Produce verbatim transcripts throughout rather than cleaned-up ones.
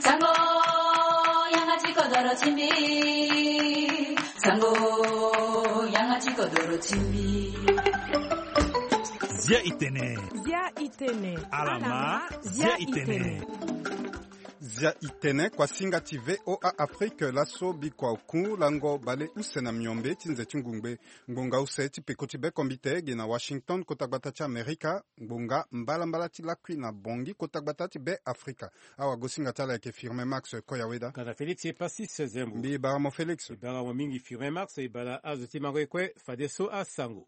Sango, yanga ti kodoro ti mbi. Sango, yanga ti kodoro ti mbi. Zia itene. Zia itene. Alama, zia itene. Zia itene, kuasinga ti V O A Afrique, laso bikua oku lango bale use na miombe ti nze ti ngungbe. Ngbonga use ti peko ti be kombite ge na Washington, kota gbata ti Amerika, ngbonga mbalambala ti lakui na Bangui, kota gbata ti be Afrika. Awagosinga ti ala ayeke Firmin Max Koyaweda. Kana Félix e pasi seizième. Mbi bara mo Félix. E bara mo mingi Firmin Max, e bara azo ti mango e kue, fadeso asango.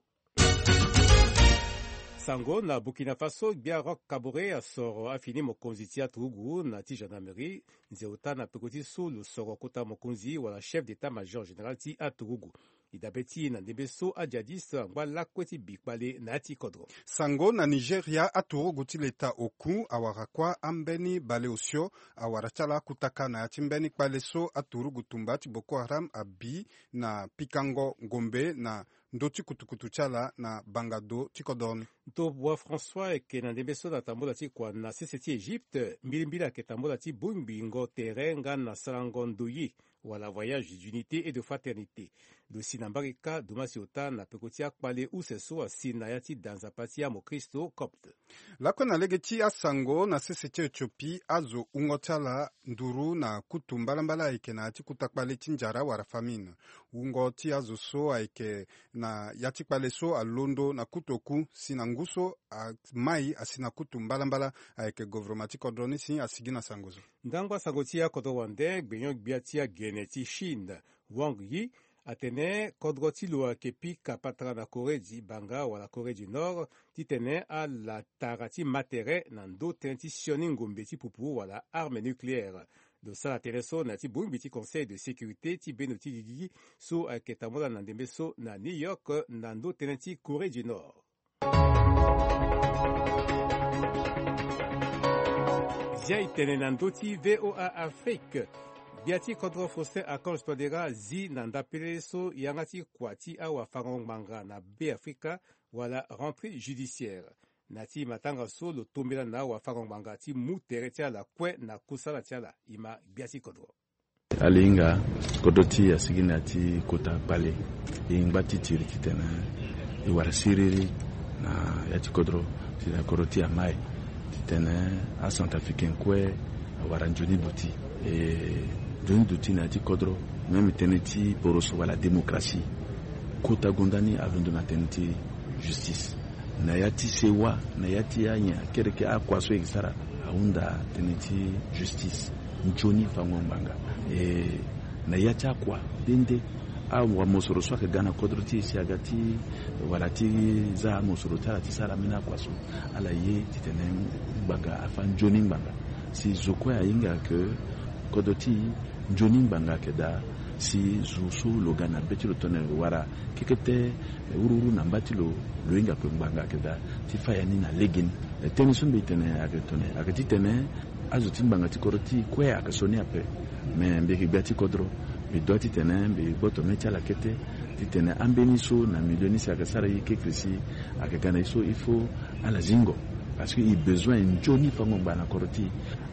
Sango na Burkina Faso, gbia Roch Kaboré asoro afini mokonzi ti aturugu na ti gendarmerie, nze ota na peko ti so lo soro kota mokonzi wala chef d'état-major général ti aturugu. E dabe ti e na ndembe so ajihadiste angba lakue ti bi kpale na ya ti kodro. Sango na Nigeria, aturugu ti leta oku awara kuâ ambeni baleosio, awara ti ala akutaka na ya ti mbeni kpale so aturugu tumba ti Boko Haram abi na pikango ngombe na ndö ti kutukutu ti ala na banga do ti kodro ni. Nto Boa François ayeke na ndembe so na tambula ti kua na sese ti Egypte, mbilimbili ayeke tambula ti bongbingo tere nga na sarango ndoye, wala voyage d'unité et de fraternité. Lo si na mbage kâ, dumasi ota na peko ti akpale use so asi na ya ti da nzapa ti amokristo copte. Lakue na lege ti asango, na sese ti Éthiopie, azo wungo ti ala nduru na kutu mbalambala ayeke na ya ti kuta kpale ti njara wala famine. Wungo ti azo so ayeke na ya ti kpale so alondo na kutu oku, si na ngu so amai asi na kutu mbalambala, ayeke governement ti kodro ni si asigi na sango so. Ndangba sango ti akodro wande, gbenyo-gbia ti agene ti Chine, Wang Yi, atene kodro ti lo ayeke pika patara na Corée du Banga wala Corée du Nord, titene ala tara ti ma tere na ndö tënë ti sioni ngombe ti pupu wala arme nucléaire. Lo sara tënë so na ya ti bongbi ti Conseil de sécurité ti bendo ti gigi so ayeke tambula na ndembe so na New York na ndö tënë ti Corée du Nord. Zia e tene na ndö ti V O A Afrique. Gbia ti kodro Faustin Archange Touadéra azi na ndapele so yanga ti kua ti awafango-ngbanga na Be Afrika, wala rentrée judiciaire. Na ya ti matanga so lo tombela na awafango-ngbanga ti mu tere ti ala kue na kusala ti ala. E ma gbia ti kodro. Ala hinga kodro ti e asigi na ya ti kota kpale. E ngba ti tiri titene e wara siriri na ya ti kodro, titene kodro ti e amai, titene acentrafricain kue awara nzoni duti. E nzoni duti na ya ti kodro, même tënë ti poroso wala démocratie. Kota gonda ni alondo na tënë ti justice. Na ya ti sewa, na ya ti anyen akereke akua so e yeke sara, ahunda tënë ti justice. Nzoni fango ngbanga. E, na ya ti akua nde nde, awamosoro so ayeke ga na kodro ti e si aga ti, wala ti za amosoro ti ala ti sara ambeni akua so, ala ye titene ngbanga afa nzoni ngbanga. Si zo kue ahinga ke kodro ti e nzoni ngbanga ayeke daa, si zo so lo ga na be ti lo tongana lo wara kekete, eh, wuruwuru na mba ti lo, lo hinga ape ngbanga ayeke daa ti fâ ya ni na legeni. Eh, tënë so mbi tene ayeke tene, ayeke titene azo ti ngbanga ti kodro ti e kue ayeke sioni ape. Me mbi yeke gbia ti kodro, mbi doit titene mbi gboto mê ti ala kete, titene ambeni so na milieu ni si ayeke sara ye kekresi, ayeke ga na ye so il faut ala zingo. Parce que e besoin nzoni fango ngbanga na kodro ti e.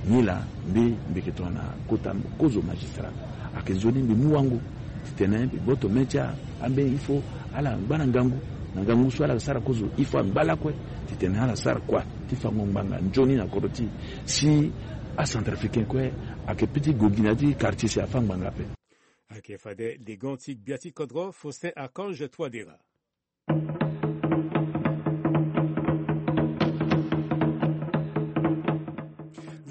Nilaa mbi, mbi yeke tongana kota kozo magistrat. Ayeke nzoni mbi mu wango titene mbi gboto mê ti a, ambeni il faut ala ngba na ngangu, na ngangu so ala sara kozo, il faut angba lakue titene ala sara kua ti fango ngbanga nzoni na kodro ti e. Si acentrafricain kue ayeke petit gogi na ya ti quartier si afâ ngbanga ape. Ayeke fade legon ti gbia ti kodro Faustin Archange Touadéra.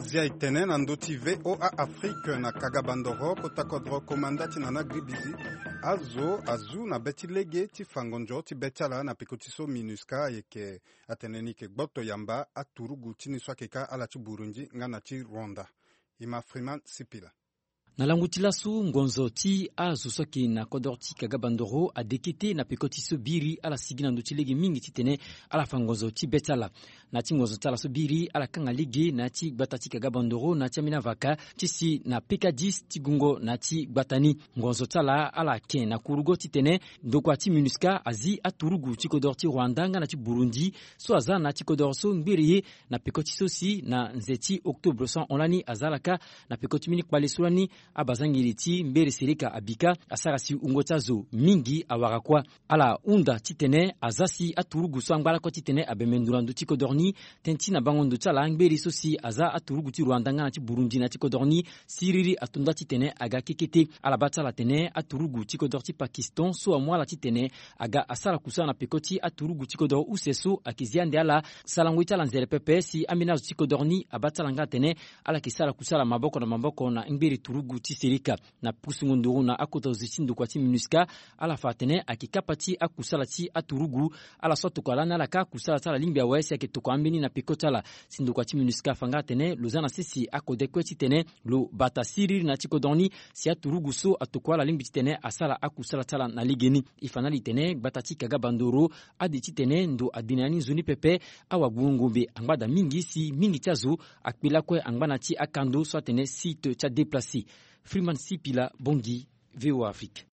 Zia e tene na ndö ti V O A Afrique na Kagabandoro, kota kodro komanda ti Nana Gribizi. Azo azu na be ti lege ti fango nzoni ti be ti ala na peko ti so MINUSCA ayeke, atene ni yeke gboto yamba aturugu ti ni so ayeke ka ala ti Burundi nga na ti Rwanda. E ma Freeman Sipila. Na lango ti laso, ngonzo ti azo so ayeke na kodro ti Kagabandoro adekete na peko ti so biri ala sigi na ndö ti lege mingi titene ala fa ngonzo ti be ti ala. Na ti ngonzo ti ala so biri ala kanga lege na ya ti gbata ti Kaga Bandoro na ya ti ambeni avaka ti si na pekadis ti gungo na ya ti gbata ni. Ngonzo ti ala ala ken na kurugo titene ndokua ti MINUSCA azi aturugu ti kodoro ti Rwanda nga na ti Burundi so aza na ya ti kodoro so ngbere ye na peko ti so si na nze ti octobre so ahon lani aza ala kâ na peko ti mbeni kpale so lani abazangeli ti mbere sereka abika asara si wungo ti azo mingi awara kuâ. Ala hunda titene aza si aturugu so angba lakue titene abembe ndo na ndö ti kodoro ni. Tënë ti na bango ndo ti ala ngberi so si aza aturugu ti Rwanda nga na ti Burundi na ti kodoro ni, siriri ato nda titene aga kekete. Ala baa ti ala atene aturugu ti kodoro ti Pakistan so amu ala titene aga asara kusala na peko ti aturugu ti kodoro use so ayeke zi ande ala. Sarango ye ti ala nzere pepe si ambeni azo ti kodoro ni abaa ti ala nga atene ala yeke sara kusala maboko na maboko na ngberi turugu ti sereka. Na pusungo nduru na akota zo ti ndokua ti MINUSCA, ala fa atene ayeke kapa ti akusala ti aturugu. Ala so atokua lani ala kâ kusala ti ala lingbi awe si ayeke tokua ambeni na peko ti ala. Si ndokua ti MINUSCA afa nga atene lo za na sese akode kue titene lo bata siriri na ya ti kodro ni si aturugu so atokua ala lingbi titene asara akusala ti ala na legeni. E fa na ala titene gbata ti Kaga Bandoro ade titene ndo ade na ya ni nzoni pepe. Awagbungo ngombe angba daa mingi si mingi ti azo akpe lakue angba na ya ti akando so atene site ti adéplacé. Freeman Sipila Bongi, VOA Afrique.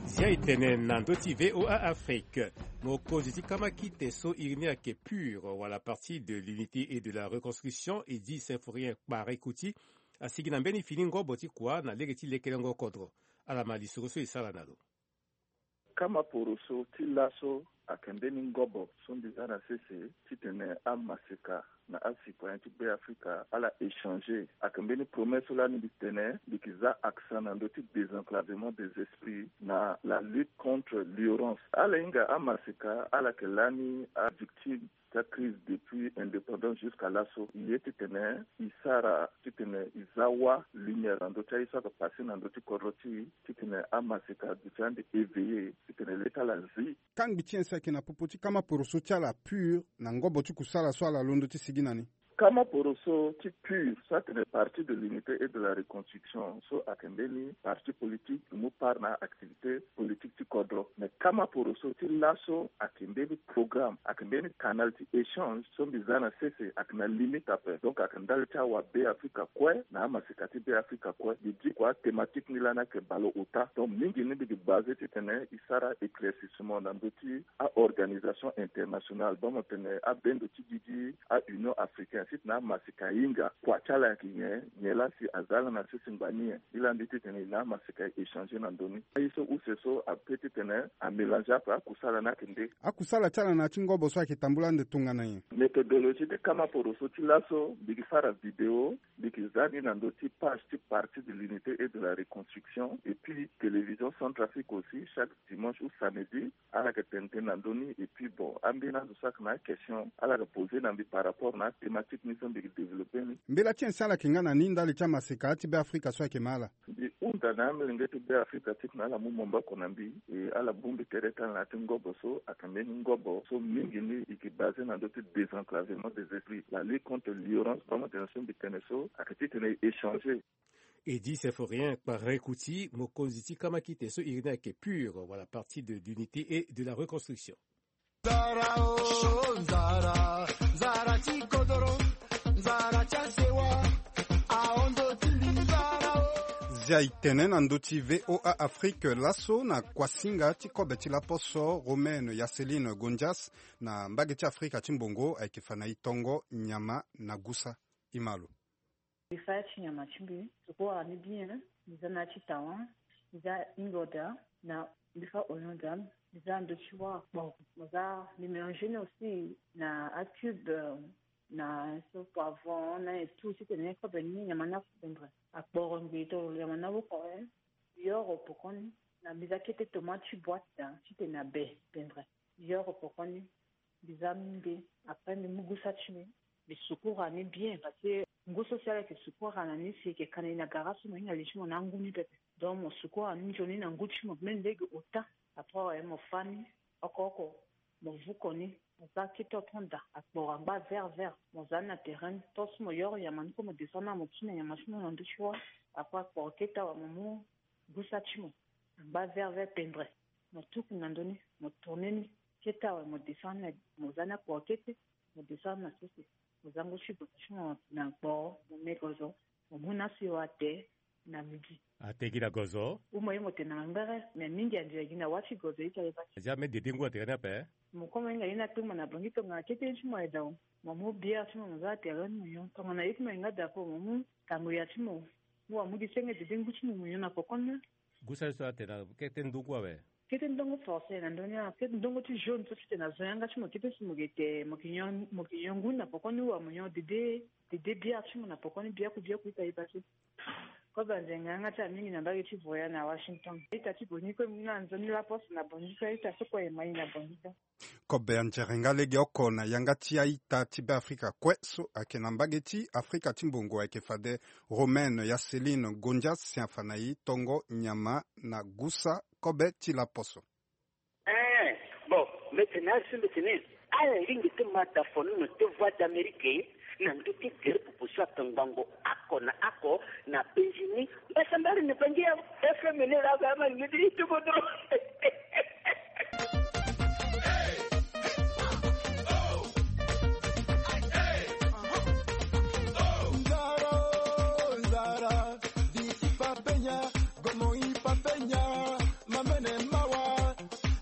Zia e tene na ndö ti VOA Afrique. Mokonzi ti kamakite so iri ni ayeke PUR wala Parti de l'Unité et de la Reconstruction, Edi Symphorien Kparekouti, asigi na mbeni fini ngobo ti kua na lege ti lekelengo kodro. Ala ma lisoro so e sara na lo. Kama poroso ti laso ayeke mbeni ngobo so mbi za na sese titene amaseka na acitoyen ti Beafrika ala échanger. Ayeke mbeni promesse so lani mbi tene mbi yeke za accent na ndö ti désenclavement des esprits na la lutte contre l'ignorance. Ala hinga amaseka ala yeke lani avictime ti acrise depuis indépendance jusqu'à laso. E ye titene e sara titene e za wâ lumière na ndö ti aye so ayeke passé na ndö ti kodro ti e titene amaseka duti ande éveillé titene le ti ala zi. Kangbi ti nyen si ayeke na popo ti kama poroso ti ala PUR na ngobo ti kusala so ala londo ti sigi na ni? Kama poroso ti PUR so atene Parti de l'Unité et de la Reconstruction so ayeke mbeni parti politique e mu part na activité politique ti kodro. Mais kama poroso ti laso ayeke mbeni programme, ayeke mbeni canal ti échange so mbi za na sese ayeke na limite ape. Donc ayeke ndali ti awa Beafrika kue na amaseka ti Beafrika kue. Mbi diko athématique ni lani ayeke baleota. Donc mingi ni mbi yeke basé titene e sara éclaircissement na ndö ti a-organisation internationale. Baa mo tene abendo ti didi a-Union africaine titene amaseka ahinga kua ti ala ayeke nyen, nyen laa si aza ala na sese ngbani nyen. E laa mbi titene e na amaseka e échanger na ndö ni. Aye so use so ape titene amélanger ape akusala ni ayeke nde. Akusala ti ala na ya ti ngobo so ayeke tambula ande tongana nyen? Méthodologie ti kama poroso ti laso mbi yeke sara vidéo, mbi yeke za ni na ndö ti page ti Parti de l'Unité et de la Reconstruction et puis Télévision Centrafrique aussi, chaque dimanche ou samedi ala yeke tene tënë na ndö ni. Et puis bon, ambeni azo so ayeke na akestion ala yeke posé na mbi par rapport na athématique ni so mbi yeke développé ni. Mbela ti nyen si ala yeke nga na ni ndali ti amaseka ti Beafrika so ayeke ma ala? Mbi hunda na amolenge ti Beafrika titene ala mu maboko na mbi e ala bongbi tere ti ala na ya ti ngobo so ayeke mbeni ngobo so mingi ni e yeke basé na ndö ti désenclavement des esprits, la lutte contre l'ignorance. Baa mo tene so mbi tene so ayeke titene e échanger. Edi Symphorien Kparekouti, mokonzi ti kamakite so iri ni ayeke PUR wala Parti de l'Unité et de la Reconstruction. Nzara o, nzara, nzara ti kodoro, nzara ti asewa, ahon ndo ti mbi nzara o. Zia e tene na ndö ti VOA Afrique laso na kuasinga ti kobe ti laposo Romaine Yaseline Gondias na mbage ti Afrika ti mbongo ayeke fa na e tongo nyama na gusa. E ma lo. Mbi fa ya ti nyama ti mbi, sukura ni bien, mbi za na ya ti tawa, mbi za ingoda, na mbi fa oignon da, mbi za ndö ti wâ akporo. Mo za mbi mélanger ni aussi na acube, na so poivron, na et tout, titene kobe ni nyama ni afu pendre. Akporo ngbii tongana nyama ni awokore, mbi yoro pokoni, na mbi za kete tomate ti boîte da, titene abe pendre. Mbi yoro pokoni, mbi za mbi, après mbi mu gusa ti mbi, mbi sukura ni bien, parce que ngu so si ala yeke sukura na ni si e yeke ka na e na gara so mo hinga li ti mo na angu ni pepe. Donc mo sukura ni nzoni na ngu ti mo même lege ota. Après awe mo fâ ni oko oko, mo vuko ni, mo za kete oton da, akporo angba vert vert, mo za ni na terrain ni, tant so mo yoro nyama ni kue mo descend na mo ti na nyama ti mo na ndö ti wâ. Après akporo kete awe mo mu gusa ti mo, angba vert vert pendre. Mo tuku na ndö ni, mo tourner ni kete awe, mo descendre na, mo za ni akua kete, mo descendre na sese. Mo za ngu ti gozo ti mo na gboo, mo me gozo, mo mu ni asiwa ate na midi. Ate gi na gozo. Ou mo ye mo tene na ngbere, mais mingi ande gi na wâ ti gozo ita ye basi. Aza me dede ngu atene ni ape. Mo koma hinga ye ni akpengba na Bangui tongana kete ye ti mo aye dao. Mo mu bière ti mo, mo za na terrain ni mo nyon. Tongana ye ti mo ahinga dapo, mo mu tango ya ti mo. Mo wa mu gi senge dede ngu ti mo, mo nyon na pokoni. Gusa ye so atene na kete ndungu awe. Kete ndongo forcé na ndö ni, kete ndongo ti jaune so ti tene na zo yanga ti mo kete si mo ge te, mo ke nyon, mo ke nyon ngu na pokoni, wa mo nyon dede, dede bière ti mo na pokoni, biaku, biaku ita ye basi. Kobe anzenga yanga ti amingi na mbage ti Voya na Washington. Ita ti Boniko na nzoni laposte na Boniko, ita so kue e mai na Boniko. Kobe anzenga lege oko na yanga ti aita ti Beafrika kue so ayeke na mbage ti Afrika ti mbongo, ayeke fade Romaine ya Céline Gondias si afa na e tongo nyama na gusa kobe ti laposo. Eh, bon, mbi tene azo, mbi tene ala lingbi ti ma da fo nono ti Voix d'Amérique na ndö ti gere popo so akangbango oko na oko na penzi ni. Mbasambari ni bangi ya F M ni la ba ma ni ti tuko dro. Nzara, nzara, di ti papenya, gomo i papenya, mamene mawa.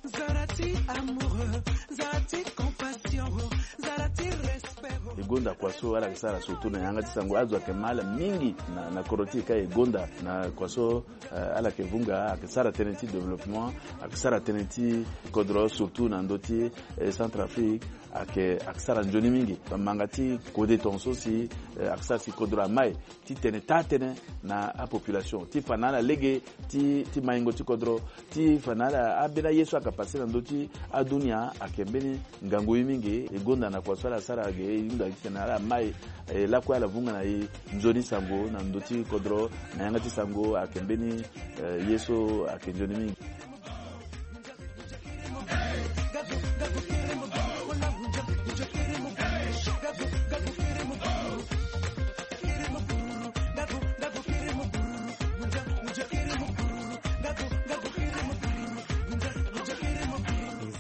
Nzara ti amour, nzara ti compassion, nzara ti respect. E gonda kua so ala yeke sara surtout na yanga ti sango, azo ayeke ma ala mingi na, na kodro ti e ka e gonda na kua so, eh, ala yeke vunga, ayeke sara tënë ti développement, ayeke sara tënë ti kodro surtout na ndö ti, eh, Centrafrique, ayeke, ayeke sara nzoni mingi. Bamanga ti kode tongaso si, eh, ayeke sara si kodro amai ti tene taa tënë na apopulation, ti fa na ala lege ti, ti maingo ti kodro, ti fa na ala ambeni aye so ayeke pase na ndö ti adunia, ayeke mbeni ngangu ye mingi. E gonda na kua so ala sara ge, e hunda titene ala mai, e lakue ala vunga na e nzoni sango na ndö ti kodro, na yanga ti sango ayeke mbeni, eh, ye so ayeke nzoni mingi.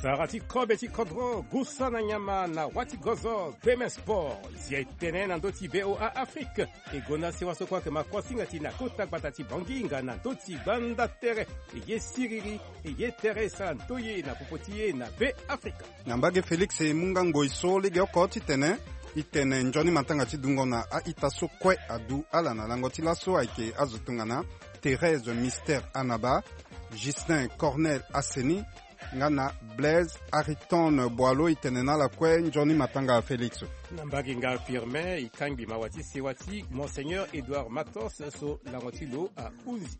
Nzara ti kobe ti kodro, gusa na nyama na wâ ti gozo, Gbe Me Sport, zia e tene na ndö ti V O A Afrique. E gonda sewa so kue ayeke ma kuasinga ti na kota gbata ti Bangui nga na ndö ti gbanda tere. E ye siriri, e ye tere e sara ndoye na popo ti e na Be Afrika. Na mbage Félix e mu nga ngoi so legeoko titene e tene nzoni matanga ti dungo na a-ita so kue adu ala na lango ti laso ayeke azo tongana Thérèse Mystère Anaba, Justin Cornel Aseni, nga na Blaise Ariton Boileau. E tene na ala kue nzoni matanga Félix. Na mbage nga Firmin, e kangbi mawa ti sewa ti Monseigneur Édouard Matos so lango ti lo ahunzi.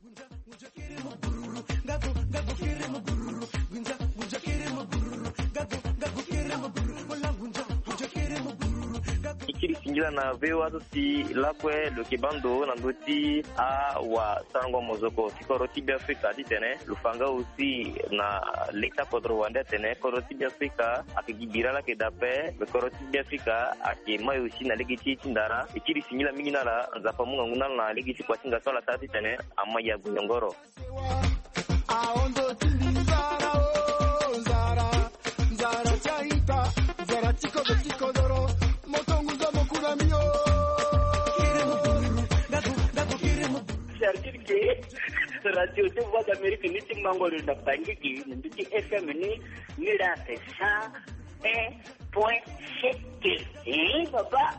E kiri singila na V O A so si lakue lo yeke baa ndo na ndö ti awasarango mozoko ti kodro ti Beafrika titene lo fa nga aussi na leta kodro wande atene kodro ti Beafrika ayeke gi bira laa ayeke daa ape, me kodro ti Beafrika ayeke mai aussi na lege ti ye ti ndara. E kiri singila mingi na ala, Nzapa amu ngangu na ala na lege ti kuasinga so ala sara titene amai ague nyongoro. Ahon zo ti mbi nzara o, nzara, nzara ti a-ita, nzara ti kozo ti kodoro, mo tongo nza mo ku na mbi o. C'est-à-dire que radio ti Voix d'Amérique ni ti mango lo na Bangui gi, na ndö ti F M ni, ni la c'est ça. Un point sept. Eh, papa.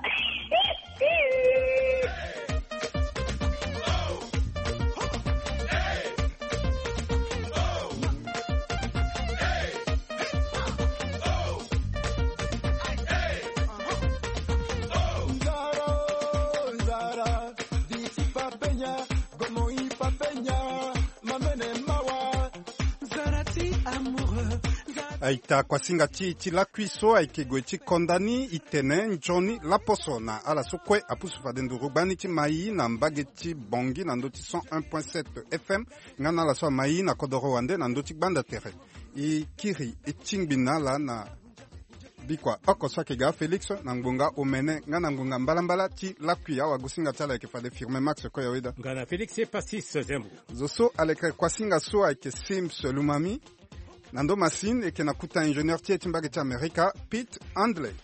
Nzara, nzara, di ti papenya, gomo i papenya, mamene mawa. Nzara ti amoureux. Aita kuasinga ti, ti lakui so ayeke gue ti konda ni, e tene nzoni laposo na ala so kue apusu fade nduru gbani ti mai na mbage ti Bangui na ndö ti cent un point sept F M, nga na ala so amai na kodoro wande na ndö ti gbanda tere. E kiri e tingbi na ala na bikua oko so ayeke ga Félix na ngbonga omene nga na ngbonga mbalambala ti lakui. Awagosinga ti ala ayeke fade Firmin Max Koyaweda. Nga na Félix Epasis Zembo. Zo so aleke kuasinga so ayeke Sims Lumami. Na ndo masine eke na kuta ingénieur ti e ti mbage ti amerika, Pete Handley.